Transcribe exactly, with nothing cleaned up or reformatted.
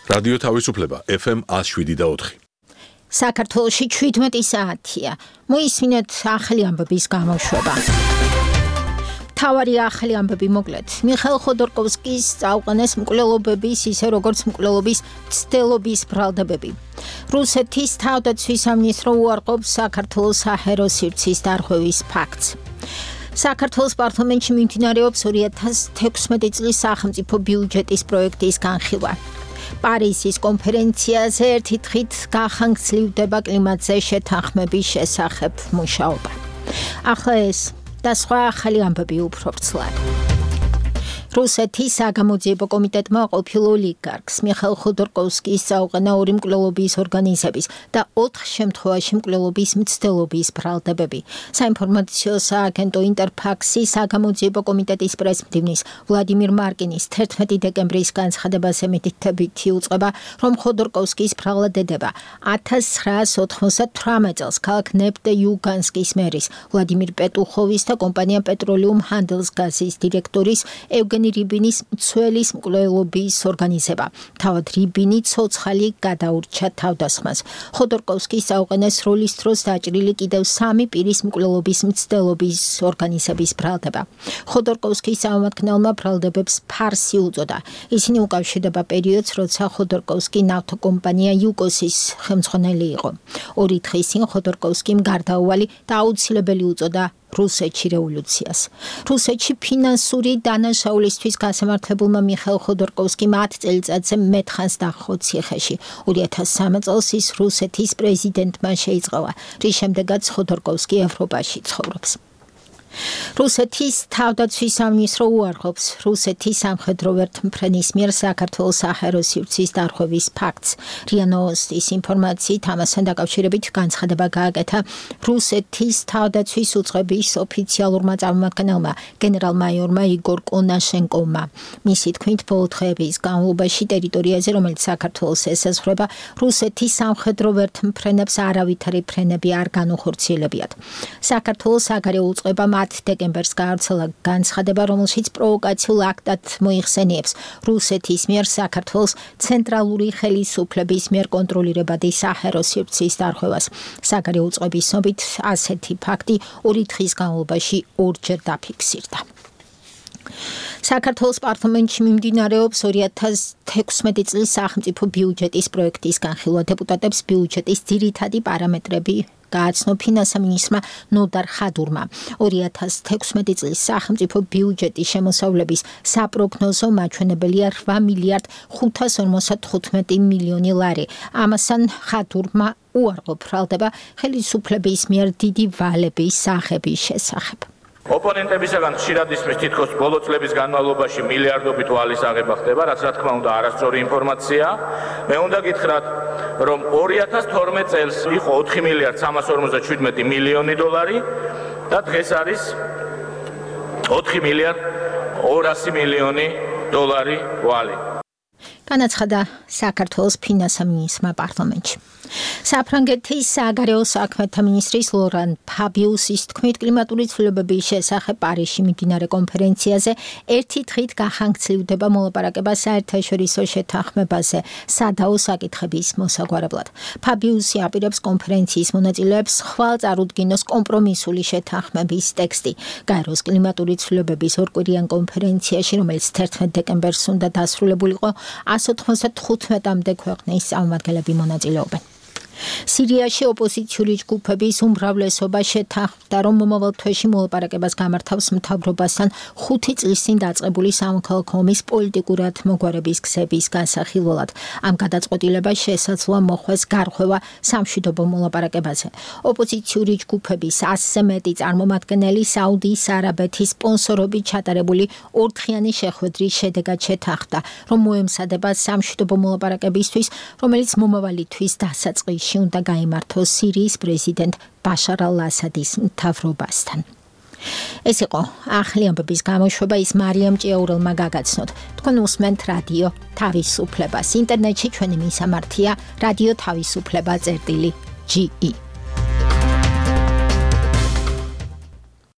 რადიო თავისუფლება F M one oh seven და four. საქართველოში seventeen საათია. მოისმინეთ ახალი ამბების გამოშვება. თავარი ახალი ამბები მოკლედ. მიხეილ ხოდორკოვსკის წაუყენეს მკვლელობების, ისე როგორც მკვლელობის ცდელობის ბრალდებები. რუსეთის თავდაცვის სამინისტრო უარყოფს საქართველოს საჰაერო სივრცის დარღვევის ფაქტს. საქართველოს პარლამენტში მიმდინარეობს two thousand sixteen წლის სახელმწიფო ბიუჯეტის პროექტის განხილვა. პარიზის კონფერენციაზე ერთი დღით გახანგრძლივდება კლიმატზე შეთანხმების შესახებ მუშაობა. ახლა ეს და სხვა ახალი ამბები უფრო ვრცლად. რუსეთის საგამოძიებო კომიტეტმა ყოფილ ოლიგარქს მიხეილ ხოდორკოვსკის წაუყენა ორი მკვლელობის ორგანიზების და ოთხ შემთხვევაში მკვლელობის მცდელობის ბრალდებები. საინფორმაციო სააგენტო ინტერფაქსის საგამოძიებო კომიტეტის პრესმდივნის ვლადიმირ მარკინის thirteen დეკემბრის განცხადებაზე მითითებითი უწყება, რომ ხოდორკოვსკის ბრალდება nineteen ninety-seven წელს ქალაქ ნეფტე-იუგანსკის მერის ვლადიმირ პეტუხოვის და კომპანია პეტროლიუმ ჰანდელსგაზის დირექტორის ევგენი რიბინის მცველის მკვლელობის ორგანიზება. თავად რიბინი ცოცხალი გადაურჩა თავდასხმას. ხოდორკოვსკის წაუყენეს როლის დროს დაჭრილი კიდევ სამი პირის მკვლელობის მცდელობის ორგანიზების ბრალდება. ხოდორკოვსკის წარმომადგენელმა ბრალდებებს ფარსი უწოდა. ისინი უკავშირდება პერიოდს, როცა ხოდორკოვსკი ნავთობკომპანია იუკოსის ხელმძღვანელი იყო. ორი დღის წინ ხოდორკოვსკიმ გარდაუვალი და აუცილებელი უწოდა რუსეთში რევოლუციას. რუსეთში ფინანსური დანაშაულისთვის გასამართლებულმა მიხეილ ხოდორკოვსკიმ ათ წელიწადზე მეტხანს დაჰყო ციხეში. two thousand three წელს ის რუსეთის პრეზიდენტმა შეიწყალა, რის შემდეგაც ხოდორკოვსკი ევროპაში ცხოვრობს. რუსეთის თავდაცვის სამინისტრო უარყოფს რუსეთის სამხედრო ვერთმფრენის მიერ საქართველოს საჰაერო სივრცის დარღვევის ფაქტს. რია ნოვოსტის ინფორმაციით ამასთან დაკავშირებით განცხადება გააკეთა რუსეთის თავდაცვის უწყების ოფიციალურმა წარმომადგენელმა გენერალ-მაიორმა იგორ კონაშენკოვმა. მისი თქმით, ბოლო დღეების განმავლობაში ტერიტორიაზე, რომელიც საქართველოს ესაზღვრება, რუსეთის სამხედრო ვერთმფრენებს არავითარი ფრენები არ განუხორციელებიათ. საქართველოს საგარეო უწყება დეკემბერს გაავრცელა განცხადება, რომელშიც პროვოკაციულ აქტად მოიხსენიებს რუსეთის მიერ საქართველოს ცენტრალური ხელისუფლების მიერ კონტროლირებადი საჰაერო სივრცის დარღვევას. საგარეო უწყების ცნობით, ასეთი ფაქტი ორი დღის განმავლობაში ორჯერ დაფიქსირდა. საქართველოს პარლამენტში მიმდინარეობს two thousand sixteen წლის სახელმწიფო ბიუჯეტის პროექტის განხილვა. დეპუტატებს ბიუჯეტის ძირითადი პარამეტრები გააცნო ფინანსამინისტრმა ნოდარ ხადურმა. two thousand sixteen წლის სახელმწიფო ბიუჯეტის შემოსავლების საპროგნოზო მაჩვენებელია eight მილიარდ ხუთას ორმოცდახუთმეტი მილიონი ლარი. ამასთან ხადურმა უარყო ბრალდება ხელისუფლების მიერ დიდი ვალების სახების შესახებ. ოპონენტებისაგან ხშირად ისმის თითქოს ბოლო წლების განმავლობაში მილიარდობით ვალის აღება ხდება, რაც რა თქმა უნდა არასწორი ინფორმაციაა. მე უნდა გითხრათ, რომ two thousand twelve წელს იყო four მილიარდ სამას ორმოცდაშვიდმეტი მილიონი დოლარი და დღეს არის four მილიარდ ორასი მილიონი დოლარი ვალი. განაცხადა საქართველოს ფინანსამინისტრმა პარლამენტში. საფრანგეთის საგარეო საქმეთა მინისტრის ლორან ფაბიუსის თქმით, კლიმატური ცვლილებების შესახებ პარიზში მიმდინარე კონფერენციაზე ერთი დღით გახანგრძლივდება მოლაპარაკება საერთაშორისო შეთანხმებაზე სადაო საკითხების მოსაგვარებლად. ფაბიუსი აპირებს კონფერენციის მონაწილეებს ხვალ წარუდგინოს კომპრომისული შეთანხმების ტექსტი. გაეროს კლიმატური ცვლილებების ორკვირიან კონფერენციაში, რომელიც thirteen დეკემბერს უნდა დასრულებულიყო, one hundred ninety-five-მდე ქვეყნის წარმომადგენლები მონაწილეობენ. სირიაში ოპოზიციური ჯგუფების უმრავლესობა შეთანხმდა, რომ მომავალ თვეში მოლაპარაკებას გამართავს მთავრობასთან ხუთი წლის წინ დაწყებული სამოქალაქო ომის პოლიტიკურად მოგვარების გზების განსახილველად. ამ გადაწყვეტილებას შესაძლოა მოხვდეს გარღვევა სამშვიდობო მოლაპარაკებაზე. ოპოზიციური ჯგუფების ასზე მეტი წარმომადგენელი საუდის არაბეთის სპონსორობით ჩატარებული ორდღიანი შეხვედრის შედეგად შეთანხმდა, რომ მოემზადება სამშვიდობო მოლაპარაკებისთვის, რომელიც მომავალი თვის დასაწყისში უნდა გაიმართოს სირიის პრეზიდენტ ბაშარ ალ-ასადის მთავრობასთან. ეს იყო ახალი ამბების გამოშვება, ის მარიამ ჭიაურელმა გაგაცნოთ. თქვენ უსმენთ რადიო თავისუფლებას. ინტერნეტში ჩვენი მისამართია რადიო თავისუფლება წერტილი ჯი ი.